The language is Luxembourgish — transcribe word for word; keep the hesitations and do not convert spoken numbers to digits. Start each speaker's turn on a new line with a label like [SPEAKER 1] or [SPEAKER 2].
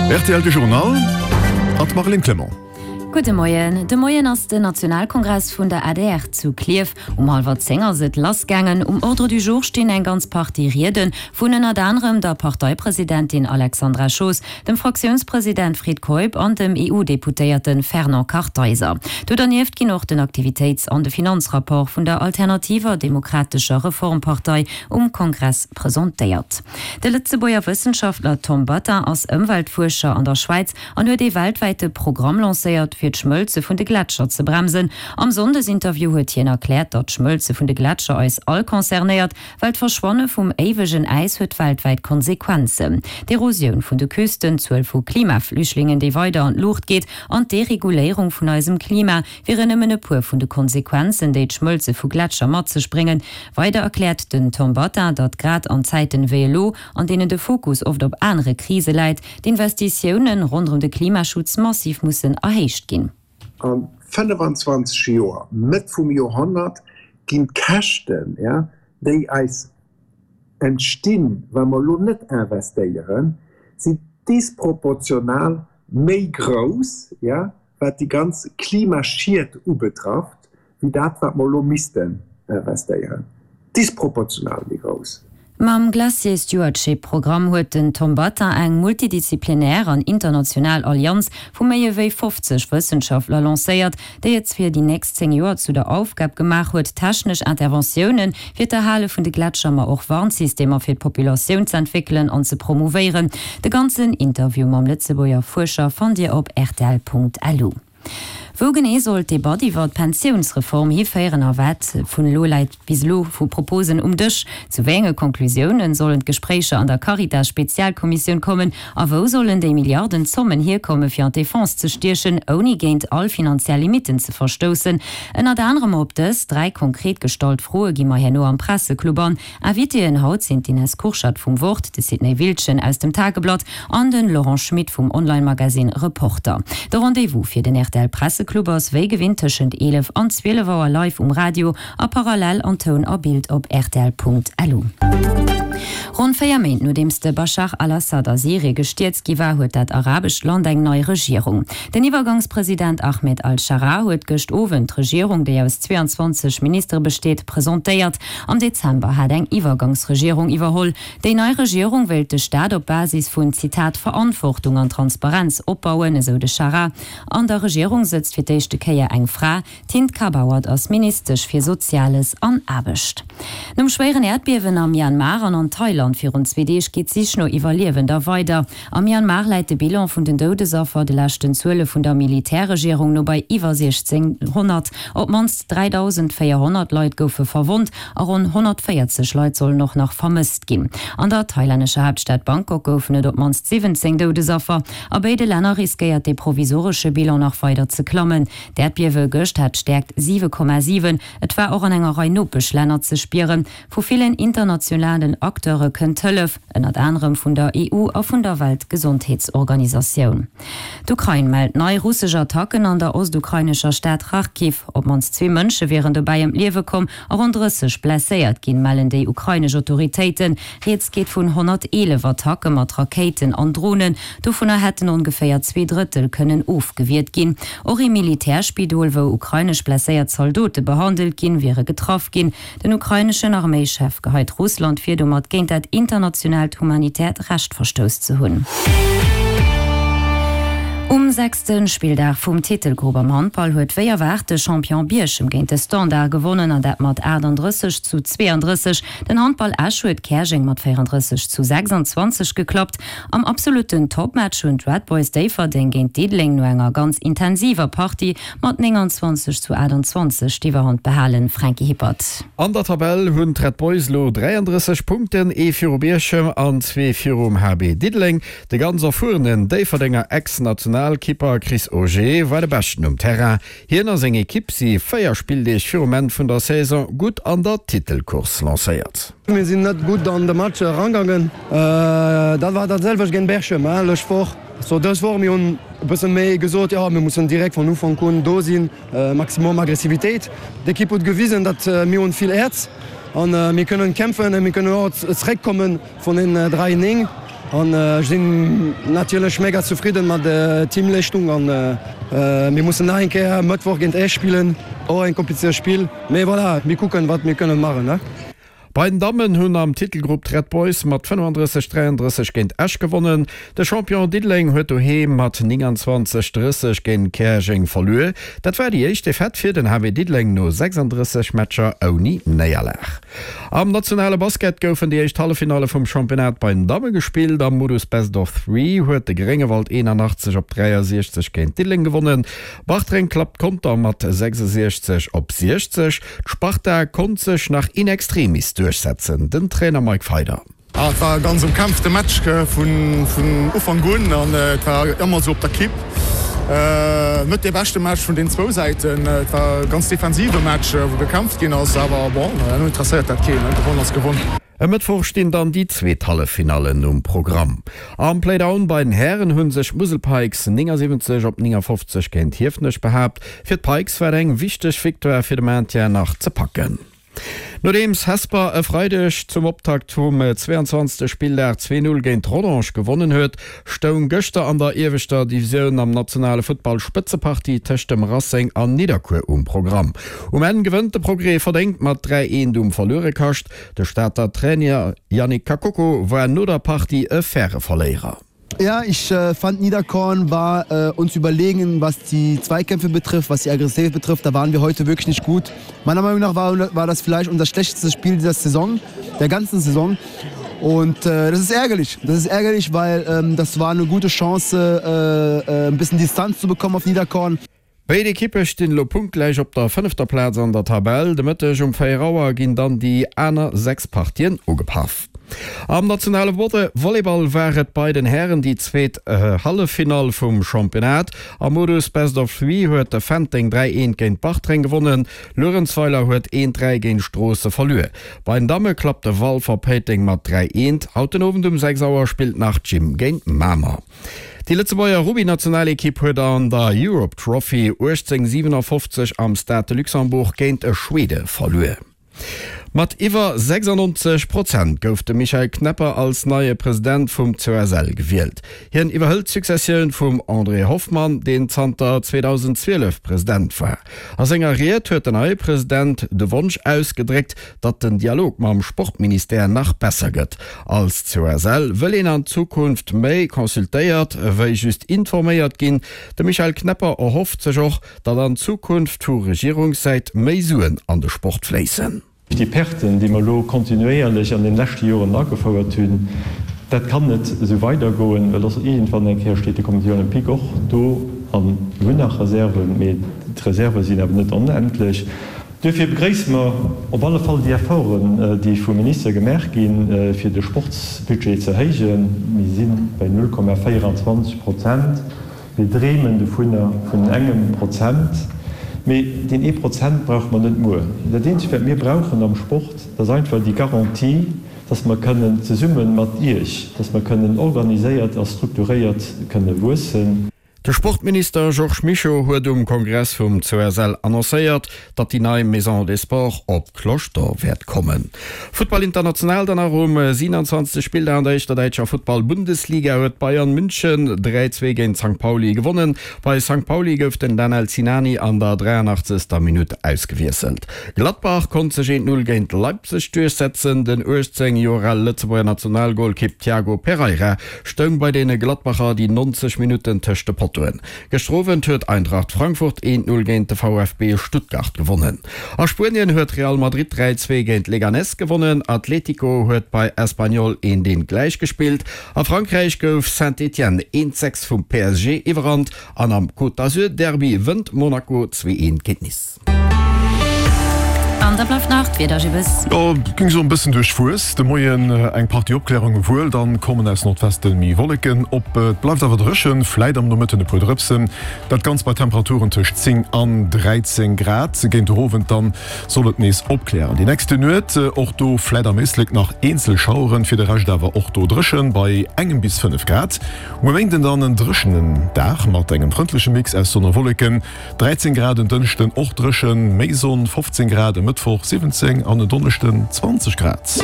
[SPEAKER 1] Rtl De Journal an d'Marlène Clement.
[SPEAKER 2] Gudde Moien. De Moien ass den Nationalkongress vun der adr zu Klierf. Um hallwer zéng ass et lassgaangen. Um Ordre du jour stinn eng ganz Partie Riede vun ënnert anerem der Parteipresidentin Alexandra Schoos, dem Fraktiounspresident Fred Keup an dem EU-Deputéierte Fernand Kartheiser. Do dernieft ginn och den Aktivitéits an de Finanzrapport vun der Alternativer Demokratescher Reformpartei um Kongress presentéiert. De Lëtzebuerger Wëssenschaftler Tom Battin ass Ëmweltfuerscher an der Schwäiz an huet ee weltwäite Programm lancéiert, fir d'Schmëlze vun de Gletscher ze bremsen. Am Sonndesinterview huet hien erkläert, datt d'Schmëlze vun de Gletscher eis all concernéiert, well d'Verschwanne vum éiwegen Äis huet weltwäit Konsequenzen. D'Erosioun vun de Küsten, d'Zuel vu Klimaflüchtlingen, déi weider an d'Luucht geet, an d'Dereguléierung vun eisem Klima wieren nëmmen e puer vun de Konsequenzen, déi d'Schmëlze vu Gletscher mat sech bréngen. Weider erkläert den Tom Battin, datt grad an Zäiten wéi elo, an deenen de Fokus oft op anere Krise läit, d'Investitioune ronderëm de Klimaschutz massiv mussen erhéicht ginn.
[SPEAKER 3] A fënnefenzwanzeg Joer, Mëtt vum Joerhonnert, ginn d'Käschten, déi eis entstinn, wa mer elo net investéieren, sinn disproportional méi grouss, wat déi ganz Klimaschied ubetrafft, wéi dat, wat mer elo missten investéieren. Disproportional méi grouss.
[SPEAKER 2] Mam Glacier Stewardship Programm huet den Tom Battin eng multidisziplinär an international Allianz vu méi ewéi fofzeg Wëssenschaftler lancéiert, déi et fir déi nächst zéng Joer zu der Aufgab gemaach huet, technesch Interventioune fir d'Erhale vun de Gletscher, ma och Warnsystemer fir d'Populatioun z'entwéckelen an ze promouvéieren. De ganzen Interview mam Lëtzebuerger Fuerscher fannt Dir op rtl.lu. Wou genee soll d'Debatt iwwer d'Pensiounsreform hiféieren a wat vun elo läit bis elo vu Proposen um Dësch? Zu wéi enge Conclusiounen sollen d'Gespréicher an der Caritas-Spezialkommissioun kommen a wou sollen déi Milliardenzommen hierkomme fir an d'Defense ze stiechen, ouni géint all finanziell Limitten ze verstoussen? Ënnert anerem op dës dräi konkret gestallt Froe gi mer herno am Presseclub an. Invitéen haut sinn d'Ines Kurschat vum Wort, de Sidney Wiltgen aus dem Tageblatt an de Laurent Schmit vum Online-Magazine Reporter. De Rendez-vous fir den rtl Presseclub ass wéi gewinnt tëschent eelef an zwielef Auer live um Radio a parallel an Toun a Bild op rtl.lu. Ronn véier Méint nodeems de Baschar al-Assad a Syrie gestierzt gi war, huet dat arabescht Land eng nei Regierung. Den Iwwergangspresident Ahmed al-Scharaa huet gëscht Owend d'Regierung, déi aus zweeanzwanzeg Ministere besteet, presentéiert. Am Dezember hat eng Iwwergangsregierung iwwerholl. Déi nei Regierung wéilt de Staat op Basis vun, Zitat, Verantwortung an Transparenz opbauen, esou de Scharaa. An der Regierung sëtzt fir d'éischte Kéier eng Fra. D'Hind Kabawat ass Ministesch fir Soziales an Aarbecht. Nom schwéieren Äerdbiewen am Myanmar an an Thailand virun zwee Deeg geet d'Sich no Iwwerliewender weider. Am Myanmar läit de Bilan vun den Doudesaffer de leschten Zuele vun der Militärregierung no bei iwwer siechzénghonnert. Op d'mannst dräidausendvéierhonnert Leit goufe verwonnt a ronn honnertvéierzeg Leit sollen och nach vermësst ginn. An der thailännescher Haaptstad Bangkok goufen et op d'mannst siwwenzéng Doudesaffer. A béide Länner riskéiert dee provisoresche Bilan nach weider ze klammen. D'Äerdbiewe gëscht hat d'Stäerkt siwe Komma siwen. Et war och an enger Rei Nopeschlänner ze spieren. Vu villen internationalen Acteure kënnt Hëllef, ënnert anerem vun der E U a vun der Weltgesondheetsorganisatioun. D'Ukrain mellt nei russesch Attacken an der ostukrainescher Stad Charkiw. Op d'mannst zwee Mënsche wieren dobäi ëm d'Liewe komm a ronn drësseg blesséiert ginn, mellen déi ukrainesch Autoritéiten. Rieds geet vun honnerteelef Attacke mat Rakéiten an Dronen. Dovunner hätten ongeféier zwee Drëttel kënnen ofgewiert ginn. Och ee Militärspidol, wou ukrainesch blesséiert Zaldote behandelt ginn, wiere getraff ginn. Den ukraineschen Arméischef geheit Russland vir, domat géint dat internationaalt humanitäert Recht verstouss ze hunn. Um sechste Spilldag vum Titelgrupp am Handball huet wéi erwaart de Champion Bierchem géint de Standard gewonnen an dat mat aachtanddrësseg zu zweeandrësseg. Den Handball Esch huet Käerjeng mat véierandrësseg zu sechsandzwanzeg geklappt. Am absolutten Topmatch hunn d'Red Boys Déifferdeng géint Diddeleng no enger ganz intensiver Partie mat nénganzwanzeg zu aachtandzwanzeg d'Iwwerhand behalen. Franky Hippert.
[SPEAKER 4] An der Tabell hunn d'Red Boys elo dräiandrësseg Punkten, ee viru Bierchem an zwee virum H B Diddeleng. De ganz erfuerenen Déifferdenger Ex-Nationalkipper Chris Auger war de Beschten um Terrain. Hien a seng Ekipp si véier Spilldeeg virum Enn vun der Saison gutt an der Titelcourse lancéiert.
[SPEAKER 5] Mir sinn net gutt an de Match erangaangen. Dat war dat selwecht géint Berchem lëscht Woch. So dës Woch, mir hunn e bësse méi gesot, jo mir mussen direkt vun Ufank un do sinn, maximum Aggressivitéit. D'Ekipp huet gewisen, datt mir hunn vill Häerz an mir kënnen kämpfen a mir kënnen och zeréckkomme vun den dräi néng. An ech sinn natierlech mega zefridden mat der Teamleeschtung an mir mussen nach eng Kéier Mëttwoch géint Esch spillen, och en komplizéiert Spill, mee voilà, mir kucken wat mir kënnen maachen.
[SPEAKER 4] Bei den Dammen hunn am Titelgrupp d'Red Boys mat fënnefandrësseg, dräiandrësseg géint Esch gewonnen. De Champion Diddeleng huet doheem mat nénganzwanzeg, drësseg géint Käerjeng verluer. Dat war déi éischt Defaite fir den H B Diddeleng no sechsandrësseg Matcher ouni Néierlag. Am nationale Basket goufen déi éischt Halleffinalle vum Championnat bei den Damme gespillt. Am Modus Best of Three huet de Gréngewald eenanachtzeg op dräiasiechzeg géint Diddeleng gewonnen. Bartreng klappt Conter mat sechsasiechzeg op siechzeg. D'Sparta konnt sech nach in extremis duerchsetzen. Den Trainer Mike Feider.
[SPEAKER 6] Et war e ganz ëmkämpfte Match vun Ufank un an et war ëmmer esou op der Kipp. Net dee beschte Match vun den zwou Säiten. Et war e ganz defensive Match, wou gekämpft ginn ass, awer bon, herno interesséiert dat keen, gewonn ass gewonn.
[SPEAKER 4] E Mëttwoch stinn dann déi zweet Halleffinallen um Programm. Am Playdown bei den Hären hu sech d'Musel Pikes néngasiwwenzeg op néngafofzeg géint Hiefenech behaapt. Fir d'Pikes war et eng wichteg Victoire fir de Maintien nach ze packen. Nodeems Hesper e Freideg zum Optakt vum zweianzwanzegste Spilldag zwee Null géint Rodange gewonnen huet, stoung gëschter an der ieweschter Divisioun am nationale Futtball Spëtzepartie tëscht dem Racing an Nidderkuer um Programm. Um Enn gewënnt de Progrès verdéngt mat dräi Eent um Verluerekascht. De Stater Trainer Yannick Kakoko war no der Partie e faire Verléierer.
[SPEAKER 7] Ja, ich äh, fand Niederkorn war äh, uns überlegen, was die Zweikämpfe betrifft, was die Aggressivität betrifft. Da waren wir heute wirklich nicht gut. Meiner Meinung nach war, war das vielleicht unser schlechtestes Spiel dieser Saison, der ganzen Saison. Und äh, das ist ärgerlich. Das ist ärgerlich, weil ähm, das war eine gute Chance, äh, äh, ein bisschen Distanz zu bekommen auf Niederkorn.
[SPEAKER 4] Béid Ekippe stinn elo punktgläich op der fënnefter Plaz an der Tabell. De Mëtteg um véier Auer ginn dann déi aner sechs Partien ugepaff. Am nationale Volleyball war et bei den Hären déi zweet Halleffinall vum Championnat. Am Modus Best of Three huet de Fenteng dräi eent géint Bartreng gewonnen. Luerenzweiler huet eent dräi géint Stroosse verluer. Bei den Damme klappt de Walfer Péiteng mat dräi eent. Haut den Owend um sechs Auer spillt nach d'Gym géint Mamer. Déi Lëtzebuerger Rugby-Nationalekipp huet an der Europe Trophy uechtzéng siewenafofzeg am Stade de Luxembourg géint Schwede verluer. Mat iwwer sechsannonzeg Prozent gouf de Michel Knepper als neie President vum C O S L gewielt. Hien iwwerhëlt d'Successioun vum André Hoffmann, deen zanter zweedausendzwielef President war. A senger Ried huet den neie President de Wonsch ausgedréckt, datt den Dialog mam Sportministère nach besser gëtt. Als C O S L wëll een an Zukunft méi consultéiert, wéi just informéiert ginn. De Michel Knepper erhofft sech och, datt an Zukunft vu Regierungssäit méi Suen an de Sport fléissen.
[SPEAKER 8] Déi Perten, déi mer elo kontinuéierlech an den leschte Joren agefouert hunn, dat kann net esou weidergoen, well dass iergendwann eng Kéier steet de Comité olympique och do a mir hunn nach Reserven, mee d'Reserve sinn awer net onendlech. Duerfir begréisse mer op alle Fall déi Efforten, déi vum Minister gemaach ginn, fir de Sportsbudget ze erhéijen. Mir si bei null Komma véierundzwanzeg Prozent. Mir dreemen dovunner, vun engem Prozent. Mee deen ee Prozent brauche mer net muer. Dat Eenzegt, wat mir brauchen am Sport, dat ass einfach déi Garantie, dass mer kënnen zesumme mat Iech, dass mer kënnen organiséiert a strukturéiert kënne wuessen.
[SPEAKER 4] De Sportminister Georges Mischo huet um Kongress vum C O S L annoncéiert, datt déi nei Maison des Sports op d'Cloche d'Or wäert kommen. Futtball international dann nach Um siewenundzwanzegste Spilldag an der éischter däitscher Futtball-Bundesliga huet Bayern München dräi zwee géint Sankt Pauli gewonnen. Bei Sankt Pauli gouf den Danel Sinani an der dräianachtzegster Minutt ausgewiesselt. Gladbach konnt sech eent Null géint Leipzig duerchsetzen. Den uechtzéng Joer ale Lëtzebuerger Nationalgolkipp Tiago Pereira stoung bei deene Gladbacher déi neunzeg Minutten tëscht de Pottoen. Gëschter Owend huet Eintracht Frankfurt eent Null géint de V F B Stuttgart gewonnen. A Spuenien huet Real Madrid dräi zwee géint Leganés gewonnen. Atlético huet bei Espanyol eent eent gläichgespillt. A Frankräich gouf Saint-Étienne eent sechs vum P S G iwwerrannt an am Côte d'Azur Derby wënnt Monaco zwee eent géint Nice.
[SPEAKER 2] An da bleift nach d'Wieder, Gibbes.
[SPEAKER 1] Jo, ging sou en bëssen duerchwuess de Moien, eng Partie Opklärunge wuel, dann kommen aus Nordwesten méi Wolleken op. Et bleift awer dréchen, vläit am Nomëtten e puer Drëpsen. Dat Ganzt bei Temperaturen tëscht zéng an dräizéng Grad. Géint de Owend dann soll et nees opklären. Déi nächste Nuet och do vläit am Éislek nach eenzel Schaueren, fir de Rescht awer och do dréchen bei engem bis fënnef Grad. Um Méinden dann en dréchenen Dag mat engem frëndleche Mix aus Sonn a Wolleken, dräizéng Grad. En Dënschden och dréchen, méi Sonn, fofzéng Grad. E Mëttwoch siwwenzéng an en Donneschden zwanzeg Grad.